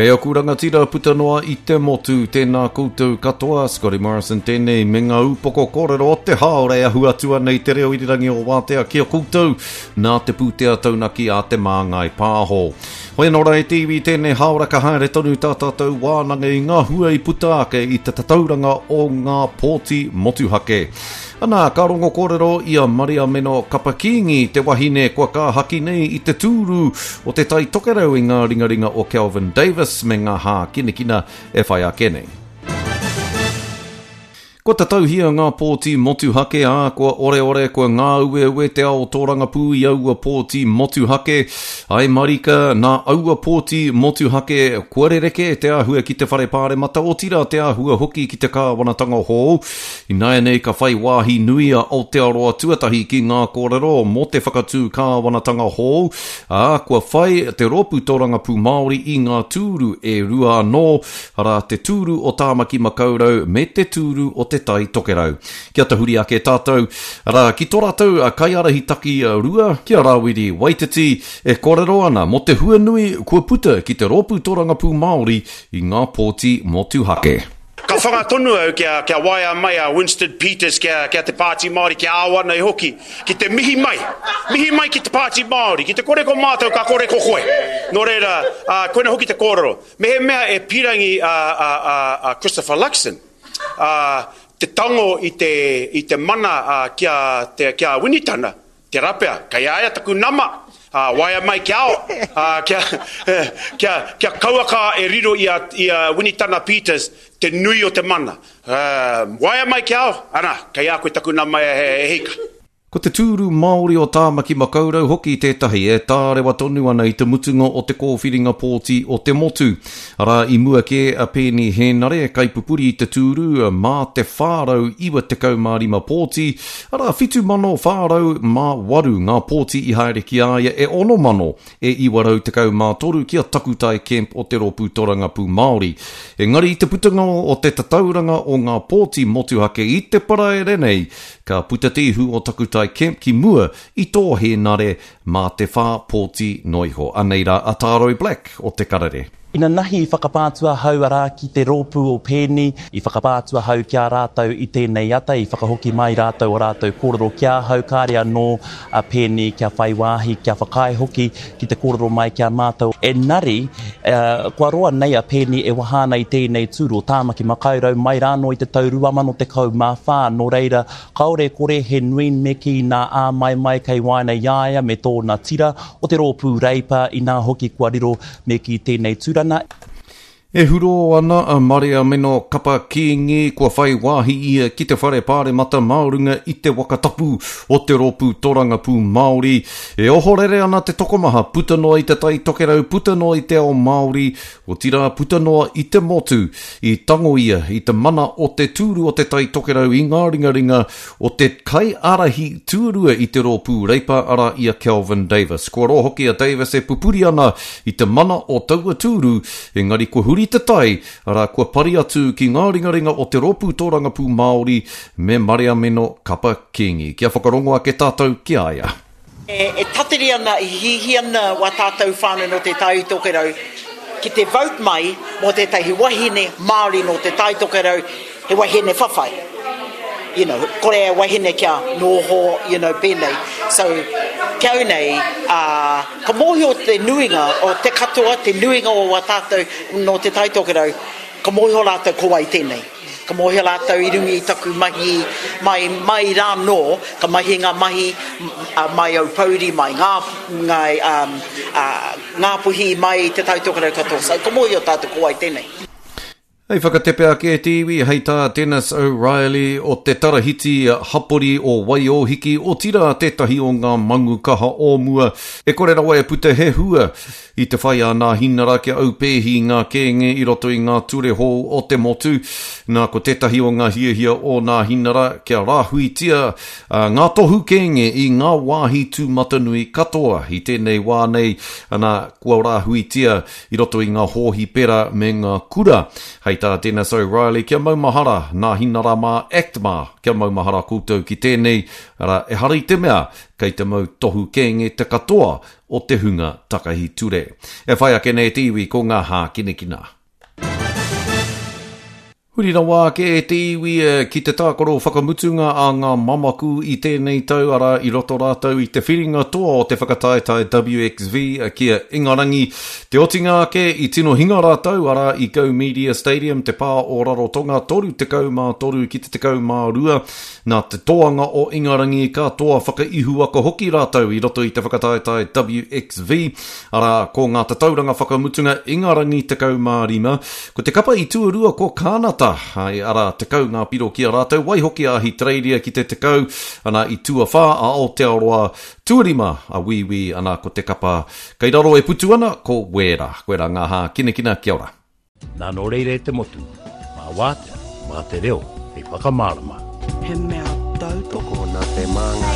Kei aku rangatira puta noa i te motu, tēnā koutou katoa, Scotty Morrison tēnei me ngā upoko kōrero o te haora e ahu atu ana i te reo irirangi o Wātea ki a koutou nā te pūtea taunaki a Te Māngai Pāho. Hoi anō rā e te iwi tēnei haora ka haere tonu tā tātou wānanga i ngā hua i puta ake i te tatauranga o ngā pōti motuhake. Ana, ka rongo kōrero i a Mariameno Kapa Kīngi, te wahine kua kāhaki nei i te tūru o Te Tai Tokerau i ngā ringaringa o Kelvin Davis me ngā hākinakina e whai ake nei. Kua tatauhia ngā pōti motuhake, ā, kua oreore, kua ngāueue te ao tōrangapū i aua pōti motuhake. Āe marika, nā aua pōti motuhake kua rerekē te āhua ki te Whare Pāremata, otirā te āhua hoki ki te kāwanatanga hou. Ināianei ka whai wāhi nui a Aotearoa Tuatahi ki ngā kōrero mō te whakatū kāwanatanga hou, ā, kua whai te Rōpū Tōrangapū Māori i ngā tūru e rua anō, arā, te tūru o Tāmaki Makaurau me te tūru o Te Tai Tokerau. Kia tahuri ake tātou, arā, ki tō rātou kaiārahi takirua, ki a Rāwiri Waititi, e kōrero ana mō te huanui kua puta ki te Rōpū Tōrangapū Māori i ngā pōti motuhake. Ka whanga tonu au kia, kia waea mai a Winston Peters kia, kia te Pāti Māori, kia ao ana i hoki, ki te mihi mai, mihi mai ki te Pāti Māori, ki te kore ko mātou ka kore ko koe. Nō reira, ā, koina hoki te kōrero. Mehemea e pīrangi a, a, a, a Christopher Luxon, ā, te tango i te, i te mana, ā, ki a, te, ki a Winitana, Tērā pea, kei a ia taku nama, ā, waea mai kia ao, ā, kia, kia, kia kauaka e riro i a, i a Winitana Peters te nui o te mana. Ā, waea mai kia ao, ana, kei a koe taku nama e, e hika. Ko te tūru Māori o Tāmaki Makaurau hoki tētahi e tārewa tonu ana i te mutunga o te kōwhiringa pōti o te motu. Arā, i mua kē a Peeni Hēnare, kaipupuri i te tūru, mā te 495 pōti, Arā, 7,408 ngā pōti i haere ki a ia e 6,913 ki a Takutai Kemp o te Rōpū Torangapū Māori. Engari i te putanga o te tatauranga o ngā pōti motuhake i te Paraire nei, ka puta te ihu o Takutai Kemp ki mua i tō Hēnare mā te whā pōti noa iho. Anei rā a Tāroi Black o Te Karere. Inanahi i whakapā atu ahau arā ki te rōpū o Peeni, i whakapā atu ahau ki a rātou i tēnei ata, i whakahoki mai rātou o rātou kōrero ki ahau, kāre anō a Peeni kia whai wāhi, kia whakaae hoki ki te kōrero mai ki a mātou. Engari, kua roa nei a Peeni e waha ana i tēnei tūru o Tāmaki Makaurau mai rānō i te tau 2014, nō reira, Kāore e kore he nui me kī nā āmaimai kei waena i a ia me tōna tira o te rōpū Reipa, inā hoki kua riro me kī tēnei tūrana. E hurō ana a Mariameno Kapa Kīngi kua whai wāhi ia ki te whare pāremata mā runga i te waka tapu o te Rōpū Torangapū Māori. E ohorere ana te tokomaha puta noa i Te Tai Tokerau, puta noa i te ao Māori, otirā puta noa i te motu. I tango ia i te mana o te tūru o Te Tai Tokerau i ngā ringaringa o te kaiārahi tuarua i te Rōpū Reipa, arā i a Kelvin Davis. Kua roa hoki a Davis e pupuri ana i te mana o taua tūru, engari kua huri te tai, arā kua pari atu ki ngā ringaringa o te Rōpū Tōrangapū Māori me Mariameno Kapa Kingi. Kia whakarongo ake tātou ki a ia. E tatari ana, e hihi ana wā tātou whānau nō Te Tai Tokerau ki te vote mai mō tētahi wahine Māori nō Te Tai Tokerau, he wahine whawhai. You know, kore e wahine kia noho, you know, pēnei. So, ki au nei, uh, ka mōhio te nuinga o te katoa, te nuinga o wā tātou nō Te Tai Tokerau, ka mōhio rātou ko wai tēnei. Ka mōhio rātou i runga i taku mahi mai, mai rānō, ka mahi ngā mahi mai Aupouri, mai ngā, ngā, um, uh, Ngāpuhi, mai Te Tai Tokerau katoa. So, ka mōhio tātou ko wai tēnei. Hei whakatepe ake te iwi, hei tā Dennis O'Reilly o te Tarahiti Hapori o Waiōhiki, otirā tētahi o ngā mangu kaha o mua, e kore rawa e puta he hua I te whai a Nāhinara kia aupēhi ngā kēnge i roto i ngā ture hou o te motu, nā ko tētahi o ngā hiahia o Nāhinara kia rāhuitia ngā tohu kēnge i ngā wāhi tūmatanui katoa. I tēnei wā nei, ana, kua rāhuitia i roto i ngā hōhipera me ngā kura. Hei. tā Dennis O'Reilly, kia maumahara, nā Hinara mā, Act mā, kia maumahara koutou ki tēnei, arā, ehara i te mea, kei te mau tohu kēnge te katoa o te hunga takahi ture. E whai ake nei te iwi ko ngā hākinakina. Huri rawa ake e te iwi ki te tākaro whakamutunga a ngā mamaku i tēnei tau, arā, i roto rātou i te whiringa toa o te whakataetae WXV ki a Ingarangi. Te otinga ake, i tino hinga rātou, arā, i Go Media Stadium, te pā o Rarotonga, 33 ki te 12. Nā te toanga o Ingarangi ka toa whakaihuwaka hoki rātou i roto i te whakataetae WXV, arā, ko ngā tatauranga whakamutunga Ingarangi 15, ko te kapa i tuarua ko Kānata, hai, arā, 10 ngā piro ki a rātou, waihoki a Ahitereiria ki te 10, ana, i tuawhā a Aotearoa, tuarima a Wīwī, ana, ko te kapa kei raro e putu ana, ko Wēra. Koirā ngā hākinakina, kia ora. Nā nō reira e te motu, mā wātea, mā te reo hei whakamārama. He mea tautoko. Tokona te māngai.